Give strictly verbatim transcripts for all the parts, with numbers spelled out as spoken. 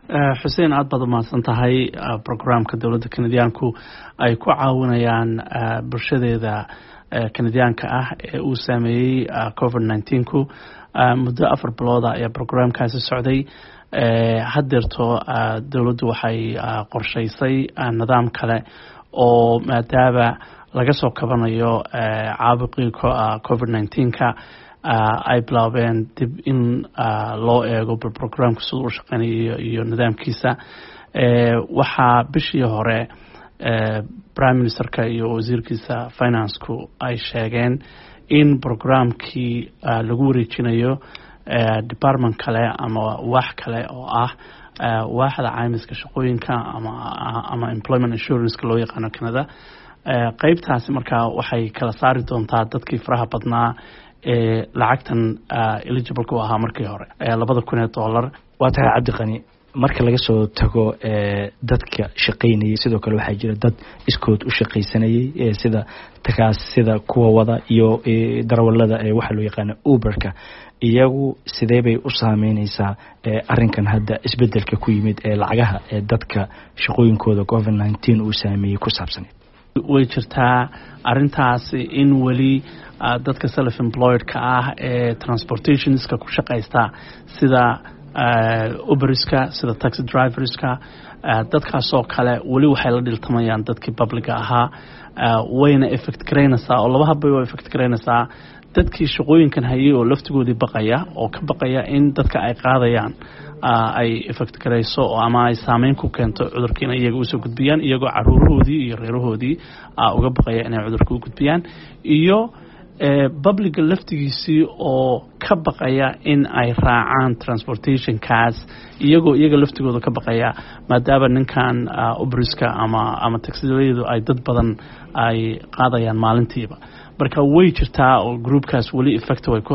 Xuseen, aad baad umahadsan tahay. Programka dowladda Kanadiyaanku ay ku caawinayaan bulshadeeda Kanadiyaanka ah ee uu saameeyey COVID nineteenku muddo afar bilooda ayaa programkaasi socday. Haddeerto dowladdu waxay qorshaysay nidaam kale oo maadaama laga soo kabanayo caabuqii COVID nineteenka ay bilaabeen dib in loo eego bal programka siduu u shaqeynayo iyo nidaamkiisa. Waxaa bishii hore prime ministerka iyo wasiirkiisa financeku ay sheegeen in programkii lagu wareejinayo department kale ama waax kale oo ah waaxda caymiska shaqooyinka ama ama employment insuranceka loo yaqaano Canada. Qeybtaasi markaa waxay kala saari doontaa dadkii faraha badnaa ee lacagtan eligibleka u ahaa markii hore, labada kun ee dollar. Waa tahay, Cabdiqani. Marka laga soo tago dadka shaqaynayay, sidoo kale waxaa jira dad iskood u shaqaysanayay, sida takaas, sida kuwa wada iyo darawalada ee waxaa loo yaqaana Uberka. Iyagu sidee bay u saameyneysaa arrinkan hadda isbedelka ku yimid ee lacagaha ee dadka shaqooyinkooda COVID nineteen uu saameeyey ku saabsaneed? Way jirtaa arrintaasi in weli dadka self employedka ah ee transportationska ku shaqaysta, sida Uberska, sida taxi driverska, dadkaasoo kale weli waxay la dhiltamayaan dadkii publica ahaa. Wayna effect garaynaysaa oo laba habbay u effect garaynaysaa: dadkii shaqooyinkan hayay oo laftigoodii baqaya oo ka baqaya in dadka ay qaadayaan ay effect garayso oo ama ay saameyn ku keento cudurka inay iyaga usoo gudbiyaan, iyagoo caruurahoodii iyo reerahoodii uga baqaya inay cudurka u gudbiyaan, iyo publica laftigiisii oo ka baqaya in ay raacaan transportationkaas, iyagoo iyaga laftigooda ka baqaya maadaama ninkan Uberska ama ama taxilayadu ay dad badan ay qaadayaan maalintiiba. Marka way jirtaa oo groupkaas weli effect way ku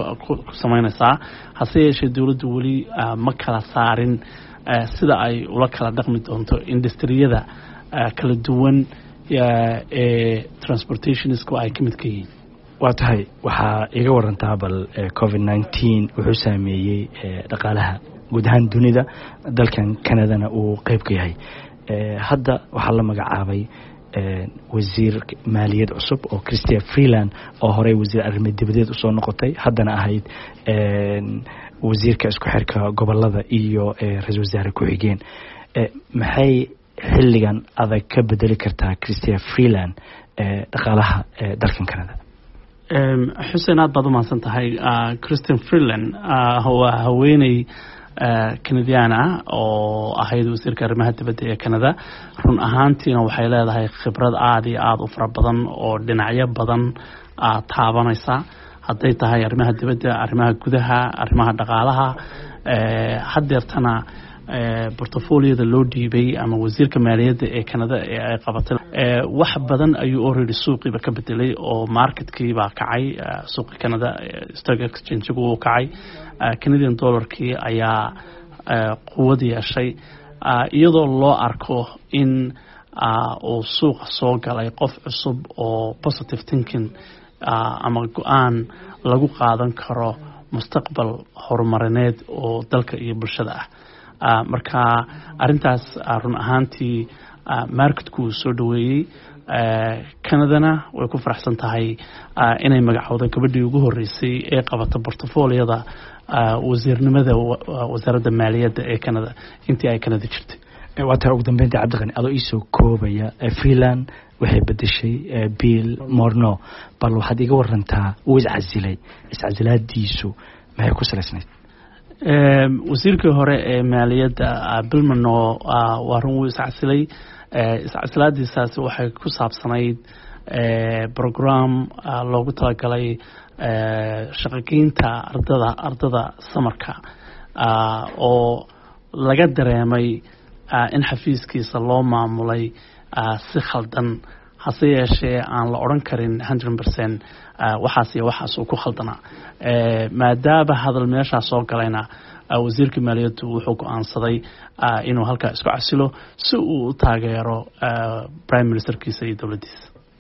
sameynaysaa. Hase yeeshee, dowladdu weli ma kala saarin sida ay ula kala dhaqmi doonto industriyada kala duwan ee transportationisku ay ka mid ka yihiin. Waa tahay. Waxaa iga warantaa bal COVID nineteen wuxuu saameeyey dhaqaalaha guud ahaan dunida, dalkan Canadana uu qeyb ka yahay. Hadda waxaa la magacaabay wasiir maaliyad cusub oo Chrystia Freeland, oo horey wasiir arrimo dibadeed usoo noqotay, haddana ahayd wasiirka isku xirka gobolada iyo ra-isul wasaare ku-xigeen. Maxay xilligan adag ka bedeli kartaa Chrystia Freeland dhaqaalaha dalkan Canada? Xuseen, aad baad umahadsan tahay. Chrystia Freeland waa haweeney Canadian ah oo ahayd wasiirka arrimaha dibadda ee Canada. Run ahaantiina waxay leedahay khibrad aada iyo aada u fara badan oo dhinacyo badan taabanaysa, hadday tahay arrimaha dibadda, arrimaha gudaha, arrimaha dhaqaalaha. Haddeertana portfolioda loo dhiibay ama wasiirka maaliyadda ee Canada ee ay qabatay wax badan ayuu already suuqiiba ka bedelay oo marketkii baa kacay. Suuqii Canada stock exchange-gu wuu kacay, Canadian dollarkii ayaa quwad yeeshay, iyadoo loo arko in uu suuqa soo galay qof cusub oo positive thinking ama go-aan lagu qaadan karo mustaqbal horumarineed oo dalka iyo bulshada ah. Marka arintaas run ahaantii marketku uu soo dhaweeyey. Canadana way ku faraxsan tahay inay magacowda gabadhii ugu horeysay ee qabata portfolioda wasiirnimada wasaaradda maaliyadda ee Canada intii ay Canada jirtay. Waa tahay. Ugu dambeynta, Cabdiqani, adoo iisoo koobaya, Freeland waxay bedeshay Bill Morneau. Bal waxaad iga warantaa, uu iscasilay, iscasilaadiisu maxay ku salaysnayd? Wasiirkii hore ee maaliyadda Bill Morneau waa run, wuu iscasilay. Iscasilaadiisaasi waxay ku saabsanayd program loogu talagalay shaqogeynta ardada ardada summerka oo laga dareemay in xafiiskiisa loo maamulay si khaldan. Hase yeeshee, aan la odhan karin hundred percent waxaas iyo waxaas uu ku khaldanaa. Maadaama hadal meeshaa soo galayna, wasiirka maaliyaddu wuxuu go-aansaday inuu halkaa isku casilo si uu u taageero prime ministerkiisa iyo dowladdiisa.